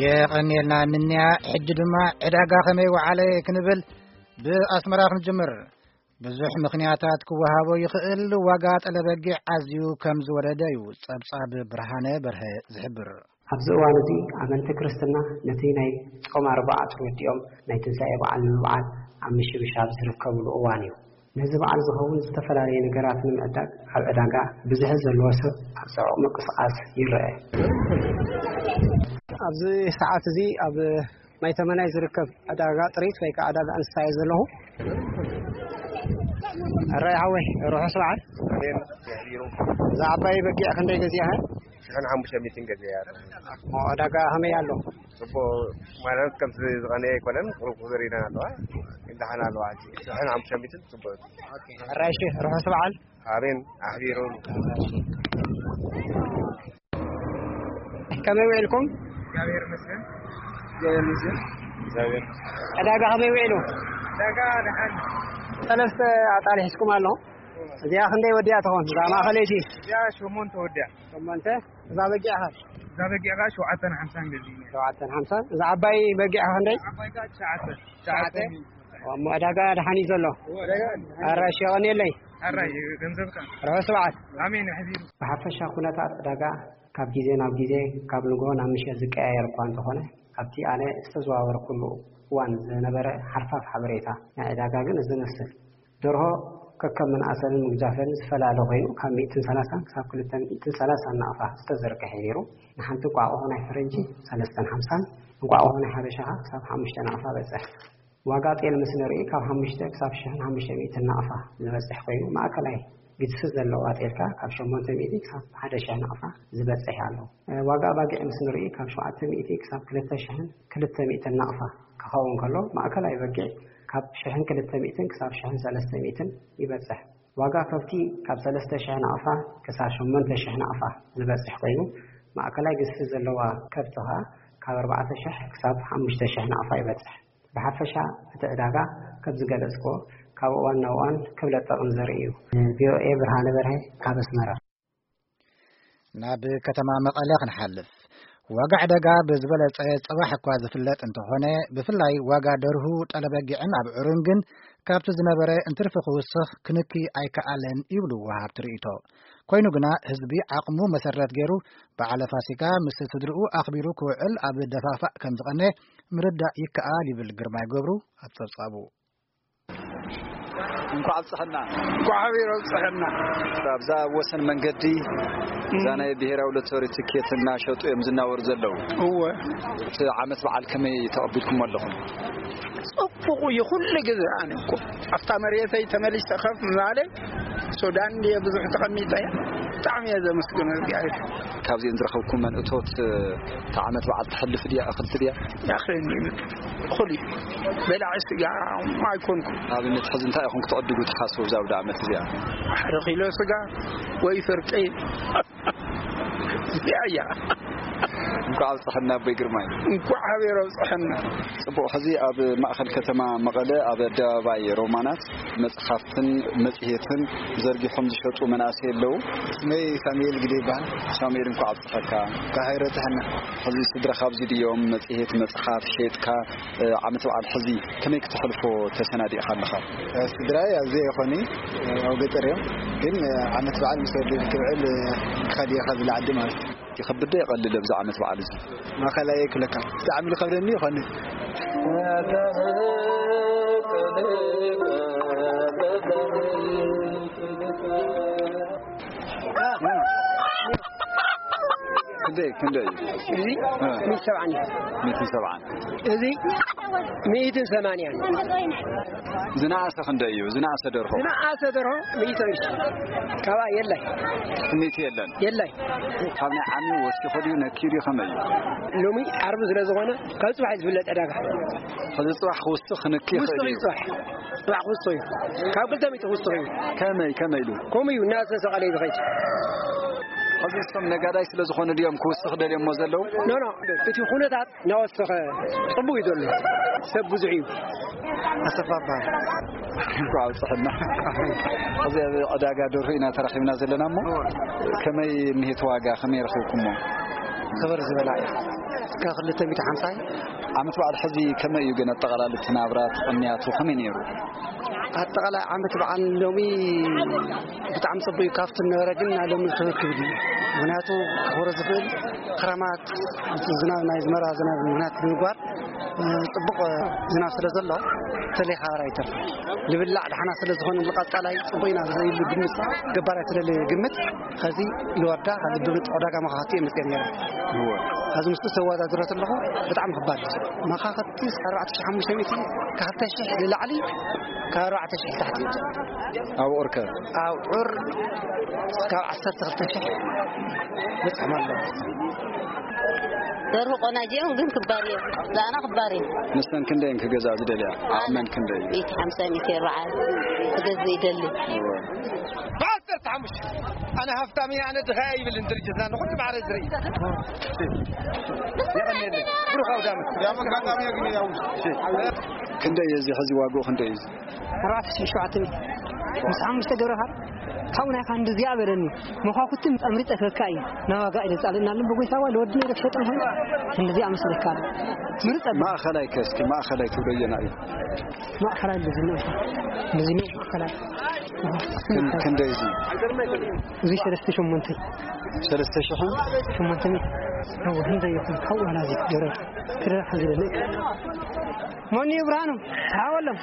የቐንየልና ምንያ። ሕጂ ድማ ዕዳጋ ከመይ ወዓለ ክንብል ብኣስመራ ክንጅምር። ብዙሕ ምኽንያታት ክወሃቦ ይኽእል። ዋጋ ጠለበጊዕ ኣዝዩ ከም ዝወረደ እዩ ጸብጻብ ብርሃነ በርሀ ዝሕብር። ኣብዚ እዋን እዚ ኣመንቲ ክርስትና ነቲ ናይ ጾም ኣርብዓ ተወዲኦም ናይ ትንሳኤ በዓል ንምብዓል ኣብ ምሽብሻብ ዝርከብሉ እዋን እዩ። ነዚ በዓል ዝኸውን ዝተፈላለየ ነገራት ንምዕዳግ ኣብ ዕዳጋ ብዝሒ ዘለዎ ሰብ ኣብ ጽዑቕ ምንቅስቓስ ይረአ። ኣብዚ ሰዓት እዚ ኣብ ማይ ተመናይ ዝርከብ ዕዳጋ ጥሪት ወይ ከዓ ዕዳጋ እንስሳ እየ ዘለኹ። ሕራይ ሓወይ፣ ርሑስ በዓል። እዛ ዓባይ በጊዕ ክንደይ ገዚእኻ? ሽሕን ሓሙሽተ ሚእትን ገዚአ። ዕዳጋ ከመይ ኣሎ? ጽቡቕ ማለት ከምዚ ዝቐነየ ኣይኮነን፣ ቁሩብ ቁሩብ ዘሪና ኣለዋ፣ ግን ደሓን ኣለዋ። ሕጂ ሽሕን ሓሙሽተ ሚእትን ጽቡቕ። ኦኬ፣ ሕራይ እሺ፣ ርሑስ በዓል። ኣሜን። ኣሕቢሩ። ከመይ ውዒልኩም? እግዚኣብሔር ይመስገን። እግዚኣብሔር ይመስገን። እግዚኣብሔር ይመስገን። ዕዳጋ ከመይ ውዒሉ? ዕዳጋ ደሓን። ሰለስተ ኣጣል ሒዝኩም ኣለኹም። እዚኣ ክንደይ ወዲኣ ትኾን? እዛ ማእኸለይቲ? እዚኣ ሸሞንተ ወዲኣ። ሸሞንተ። እዛ በጊዕ ኸ? እዛ በጊዕ ኸ ሸውዓተን ሓምሳን ገዚእና። ሸውዓተን ሓምሳን። እዛ ዓባይ በጊዕ ኸ ክንደይ? ዓባይ ኸ ትሽዓተ። ትሽዓተ። ትሽዓተ። እሞ ዕዳጋ ደሓን እዩ ዘሎ። ዕዳጋ። ኣራሽ የቐንየለይ። ኣራይ ገንዘብካ። ርሑስ በዓል። ኣሜን። ሕዚሩ። ብሓፈሻ ኩነታት ዕዳጋ ካብ ግዜ ናብ ግዜ፣ ካብ ንግሆ ናብ ምሸት ዝቀያየር እኳ እንተኾነ፣ ኣብቲ ኣነ ዝተዘዋወርኩሉ እዋን ዝነበረ ሓርፋፍ ሓበሬታ ናይ ዕዳጋ ግን እዚ ይመስል። ደርሆ ከከም ምንኣሰንን ምግዛፈን ዝፈላለ ኮይኑ፣ ካብ ሚእትን ሰላሳን ክሳብ ክልተ ሚእትን ሰላሳን ናቕፋ ዝተዘርግሐ ነይሩ። ንሓንቲ እንቋቑሖ ናይ ፈረንጂ ሰለስተን ሓምሳን፣ እንቋቑሖ ናይ ሓበሻ ክሳብ ሓሙሽተ ናቕፋ በጽሕ። ዋጋ ጤል ምስ ንርኢ፣ ካብ ሓሙሽተ ክሳብ ሽሕን ሓሙሽተ ሚእትን ናቕፋ ዝበጽሕ ኮይኑ፣ ማእከላይ ግዝፊ ዘለዋ ጤል ከኣ ካብ ሸሞንተ ሚእቲ ክሳብ ሓደ ሽሕ ናቕፋ ዝበጽሕ ኣሎ። ዋጋ ኣባጊዕ ምስ ንርኢ፣ ካብ ሸውዓተ ሚእቲ ክሳብ ክልተ ሽሕን ክልተ ሚእትን ናቕፋ ክኸውን ከሎ፣ ማእከላይ በጊዕ ካብ ሽሕን ክልተ ሚእትን ክሳብ ሽሕን ሰለስተ ሚእትን ይበጽሕ። ዋጋ ከብቲ ካብ ሰለስተ ሽሕ ናቕፋ ክሳብ ሸሞንተ ሽሕ ናቕፋ ዝበጽሕ ኮይኑ፣ ማእከላይ ግዝፊ ዘለዋ ከብቲ ኸኣ ካብ ኣርባዕተ ሽሕ ክሳብ ሓሙሽተ ሽሕ ናቕፋ ይበጽሕ። ብሓፈሻ እቲ ዕዳጋ ከም ዝገለጽክዎ ካብ እዋን ናብ እዋን ክብለጽ ጠቕሚ ዘርኢ እዩ። ቪኦኤ ብርሃነ በርሀ ካብ ኣስመራ። ናብ ከተማ መቐለ ክንሓልፍ። ዋጋ ዕዳጋ ብዝበለጸ ጽባሕ እኳ ዝፍለጥ እንተኾነ፣ ብፍላይ ዋጋ ደርሁ፣ ጠለበጊዕን ኣብዑርን ግን ካብቲ ዝነበረ እንትርፊ ክውስኽ ክንኪ ኣይከኣለን ይብሉ ወሃብቲ ርእይቶ። ኮይኑ ግና ህዝቢ ዓቕሙ መሰረት ገይሩ በዓለ ፋሲካ ምስ ስድርኡ ኣኽቢሩ ክውዕል ኣብ ደፋፋእ ከም ዝቐነ ምርዳእ ይከኣል ይብል ግርማይ ገብሩ ኣብ ጸብጻቡ። እንኳዕ ኣብፀሐና። እንኳዕ ሓቢሩ ኣብፀሐና። ኣብዛ ወሰን መንገዲ እዛ ናይ ብሔራዊ ሎተሪ ትኬት እናሸጡ እዮም ዝናወሩ ዘለዉ። እወ። እቲ ዓመት በዓል ከመይ ተቐቢልኩሞ ኣለኹም? ጽቡቕ እዩ። ኩሉ ግዜ ኣነ እኮ ኣብታ መሬተይ ተመሊሰ ከፍ ምባለ ሱዳን ድየ ብዙሕ ተቐሚጠ እየ። ብጣዕሚ እየ ዘመስግኖ እግዚኣብሔር። ካብዚአን ዝረኸብኩመን እቶት እታ ዓመት በዓል ተሕልፍ ድያ? እኽልቲ ድያ? ያኽለኒ እኹል እዩ። በላዒ ስጋ ኣይኮንኩ። ኣብነት ሕዚ እንታይ ኢኹም ክትዕድጉ ትሓስቡ እዛ ኣውደ ዓመት እዚኣ? ሓደ ኪሎ ስጋ ወይ ፍርቂ። እዚኣ እያ። እንኳዕ ኣብፀሐና ኣቦይ ግርማይ። እንኳዕ ሓቢሩ ኣብፀሐና። ጽቡቕ፣ ሕዚ ኣብ ማእኸል ከተማ መቐለ ኣብ ኣደባባይ ሮማናት መጽሓፍትን መጽሔትን ዘርጊሖም ዝሸጡ መናእሰይ ኣለዉ። ስመይ ሳሙኤል ግደ ይበሃል። ሳሙኤል፣ እንኳዕ ኣብፀሐካ። እንኳዕ ሓቢሩ ኣብፀሐና። ሕዚ ስድራኻ ኣብዚ ድዮም? መጽሔት መጽሓፍ ሸይጥካ፣ እ፣ ዓመት በዓል ሕዚ ከመይ ክተሕልፎ ተሰናዲእኻ ኣለኻ? እ፣ ስድራይ ኣብዚ ኣይኾኑይ፣ እ፣ ኣብ ገጠር እዮም። ግን፣ እ፣ ዓመት በዓል ምስ ወዲ ክብዕል፣ እ፣ ክኸድ እየ ካብዚ ዓዲ ማለት እዩ። ይኸብድ ዶ የቐልል ኣብዚ ዓመት በዓል እዚ? ማእኸላይ ኣይክብለካ። ብጣዕሚ ዝኸብደኒ ይኾኒ። ክንደይ፣ ክንደይ እዩ? እዚ እ። ሚእትን ሰብዓን እዩ። ሚእትን ሰብዓን። እዚ ሚእትን ሰማንያን። ዝነኣሰ ክንደይ እዩ? ዝነኣሰ ደርሆ? ዝነኣሰ ደርሆ ሚእቲ ቅርሺ። ካብኣ የላይ። ሚእቲ የለን? የላይ። ካብ ናይ ዓሚ ወሲኹ ድዩ ነኪሩ እዩ ከመይ እዩ? ሎሚ ዓርቢ ስለ ዝኾነ ካብ ጽባሕ እዩ ዝፍለጥ ዕዳጋ። ሕዚ ጽባሕ ክውስኽ ክንኪ ክውስኽ ይኽእል እዩ እዩ። ጽባሕ። ጽባሕ ክውስኽ እዩ። ካብ ክልተ ሚእቲ ክውስኽ እዩ። ከመይ፣ ከመይ ኢሉ? ከምኡ እዩ እናተሰቐለ እዩ ዝኸይድ። ሕዚ እሶም ነጋዳይ ስለ ዝኾኑ ድዮም ክውስኽ ደልዮሞ ዘለዉ? ኖ፣ ኖ፣ እቲ ኩነታት እናወሰኸ ጽቡቕ እዩ ዘሎ። ሰብ ብዙሕ እዩ። ኣሰፋ እበሃል። እንኳዕ ኣብፅሐና። ሕዚ ኣብ ዕዳጋ ደርሁ ኢና ተራኺብና ዘለና እሞ፣ ከመይ እኒሄት ዋጋ፣ ከመይ ረኺብኩሞ? ክብር ዝበላ እዩ። ካብ ክልተ ሚእቲ ሓምሳ ዓመት በዓል ሕዚ ከመይ እዩ ግን ኣጠቓላሊ እቲ ናብራ እቲ ቅንያቱ ከመይ ነይሩ? ኣጠቓላይ ዓመት በዓል ሎሚ ብጣዕሚ ጽቡቅ እዩ። ካብቲ ነበረ ግን ናይ ሎሚ ክብር ክብል እዩ። ምክንያቱ ክኽብሮ ዝኽእል ክረማት ዝናብ ናይ ዝመራ ዝናብ ምክንያት ብምግባር ጽቡቕ ዝናብ ስለ ዘሎ ተለይ ሓበራ ኣይተርፍን። ልብላዕ ደሓና ስለ ዝኾነ ንቐጻላይ ጽቡቕ ኢና ዝብል ግምት ገባር ኣይተለለ ግምት ኸዚ ልወርዳ ካብ ልቢ ዕዳጋ መኻኽቲ እየ መፅአ ነይረ። ኸዚ ምስቲ ተወዳድረት ኣለኹ ብጣዕሚ ክባድ እዩ። መኻኽቲ እስከ ኣርባዕተ ሺሕ ሓሙሽተ ሚእቲ ካብ ክልተ ሺሕ ንላዕሊ ካብ ኣርባዕተ ሺሕ ታሕቲ እዩ። ኣብ ዑር ከ? ኣብ ዑር እስካብ ዓሰርተ ክልተ ሺሕ በፅሖም ኣለዉ። ደርሁ ቆናጅ እዮም ግን ክባር እዮም። ዛና ክባር እዮም። ንሰን ክንደይ እየን ክገዝኣ ዝደልያ? ዓቕመን ክንደይ እዩ? ሚእቲ ሓምሳ ሚእቲ ኣርብዓ ክገዝእ ይደሊ። እወ። ብዓሰርተ ሓሙሽተ ኣነ ሃፍታም እየ፣ ኣነ ድኻ እየ ይብልን ድርጅትና ንኹሉ ማዕረ ዝርኢ። የቐንየለይ። ብሩኽ ኣውደ ዓመት። ያም ኣጋጣሚ ግን ያው ክንደይ እዩ እዚ ሕዚ ዋግኡ ክንደይ እዩ እዚ? ኣርባዕተ ሽሕን ሸውዓተ ሚእትን ምስ ሓሙሽተ ገብረኻ ካብኡ ናይኻ እንደዚኣ በለኒ። መኳኩትን ኣምሪፀ ክበካ እዩ ናብ ዋጋ ኢለ ፃልእና ለን ብጎይታ ዋ ለወድነ ኢለ ክሸጠ ምኾን እንደዚኣ መስለካ ኣሎ። ምርፀ ማእኸላይ ከ እስኪ ማእኸላይ ትብሎ ኣየና እዩ? ማእኸላይ እንደዚህ ነው። እንደዚህ ነው ማእኸላይ። ክን- ክንደይ እዚ? እዚ ሰለስተ ሸሞንተ። ሰለስተ ሽሕን? ሸሞንተ ሚእቲ። እወ፣ ክንደይ ይኹን? ካብኡ ናዚ ገረብ ክደራሕ ዝደሊ። መን እዩ ብርሃኑ? ሓወሎም።